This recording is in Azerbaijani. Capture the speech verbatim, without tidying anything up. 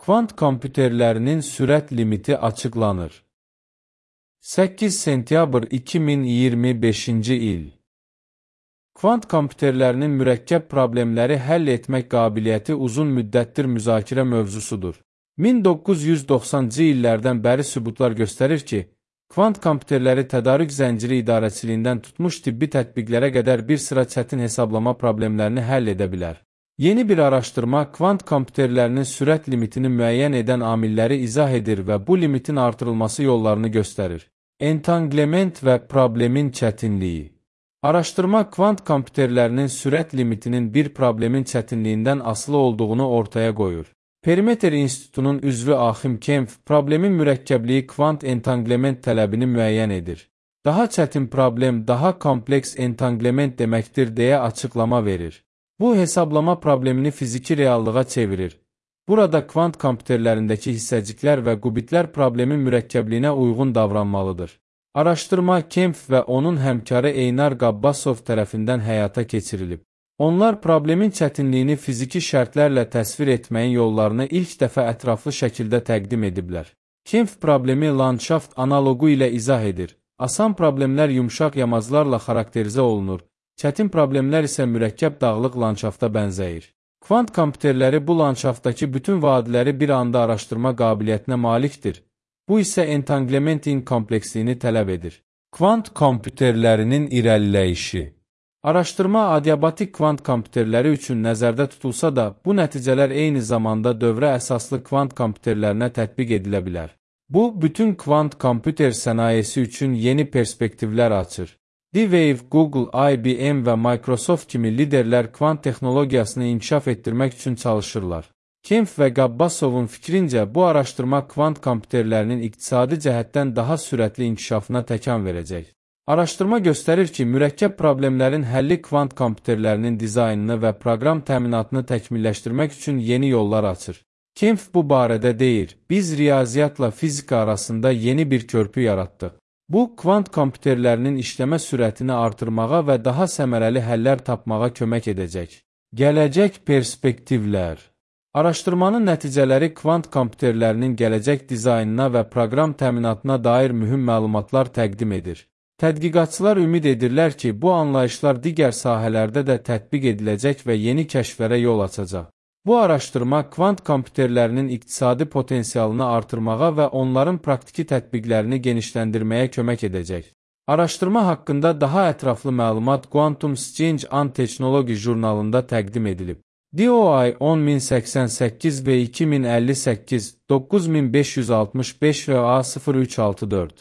Kvant kompüterlərinin sürət limiti açıqlanır. səkkiz sentyabr iki min iyirmi beşinci il. Kvant kompüterlərinin mürəkkəb problemləri həll etmək qabiliyyəti uzun müddətdir müzakirə mövzusudur. min doqquz yüz doxsanıncı illərdən bəri sübutlar göstərir ki, kvant kompüterləri tədarük zənciri idarəçiliyindən tutmuş tibbi tətbiqlərə qədər bir sıra çətin hesablama problemlərini həll edə bilər. Yeni bir araşdırma kvant kompüterlərinin sürət limitini müəyyən edən amilləri izah edir və bu limitin artırılması yollarını göstərir. Entanglement və problemin çətinliyi. Araşdırma kvant kompüterlərinin sürət limitinin bir problemin çətinliyindən asılı olduğunu ortaya qoyur. Perimeter İnstitutunun üzvü Axim Kempf, problemin mürəkkəbliyi kvant entanglement tələbini müəyyən edir. Daha çətin problem, daha kompleks entanglement deməkdir deyə açıqlama verir. Bu, hesablama problemini fiziki reallığa çevirir. Burada kvant kompüterlərindəki hissəciklər və qubitlər problemin mürəkkəbliyinə uyğun davranmalıdır. Araşdırma Kempf və onun həmkarı Eynar Qabbasov tərəfindən həyata keçirilib. Onlar problemin çətinliyini fiziki şərtlərlə təsvir etməyin yollarını ilk dəfə ətraflı şəkildə təqdim ediblər. Kempf problemi landşaft analogu ilə izah edir. Asan problemlər yumşaq yamaclarla xarakterizə olunur, çətin problemlər isə mürəkkəb dağlıq landşafta bənzəyir. Kvant kompüterləri bu landşaftdakı bütün vadiləri bir anda araşdırma qabiliyyətinə malikdir. Bu isə entanglementin kompleksliyini tələb edir. Kvant kompüterlərinin irəliləyişi. Araşdırma adiabatik kvant kompüterləri üçün nəzərdə tutulsa da, bu nəticələr eyni zamanda dövrə əsaslı kvant kompüterlərinə tətbiq edilə bilər. Bu, bütün kvant kompüter sənayesi üçün yeni perspektivlər açır. D-Wave, Google, I B M və Microsoft kimi liderlər kvant texnologiyasını inkişaf etdirmək üçün çalışırlar. Kempf və Qabbasovun fikrincə, bu araşdırma kvant kompüterlərinin iqtisadi cəhətdən daha sürətli inkişafına təkan verəcək. Araşdırma göstərir ki, mürəkkəb problemlərin həlli kvant kompüterlərinin dizaynını və proqram təminatını təkmilləşdirmək üçün yeni yollar açır. Kempf bu barədə deyir, biz riyaziyyatla fizika arasında yeni bir körpü yaratdıq. Bu, kvant kompüterlərinin işləmə sürətini artırmağa və daha səmərəli həllər tapmağa kömək edəcək. Gələcək perspektivlər. Araşdırmanın nəticələri kvant kompüterlərinin gələcək dizaynına və proqram təminatına dair mühüm məlumatlar təqdim edir. Tədqiqatçılar ümid edirlər ki, bu anlayışlar digər sahələrdə də tətbiq ediləcək və yeni kəşflərə yol açacaq. Bu araşdırma kvant kompüterlərinin iqtisadi potensialını artırmağa və onların praktiki tətbiqlərini genişləndirməyə kömək edəcək. Araşdırma haqqında daha ətraflı məlumat Quantum Exchange and Technology jurnalında təqdim edilib. D O I on min səksən səkkiz və iki min əlli səkkiz, doqquz min beş yüz altmış beş və A sıfır üç altı dörd.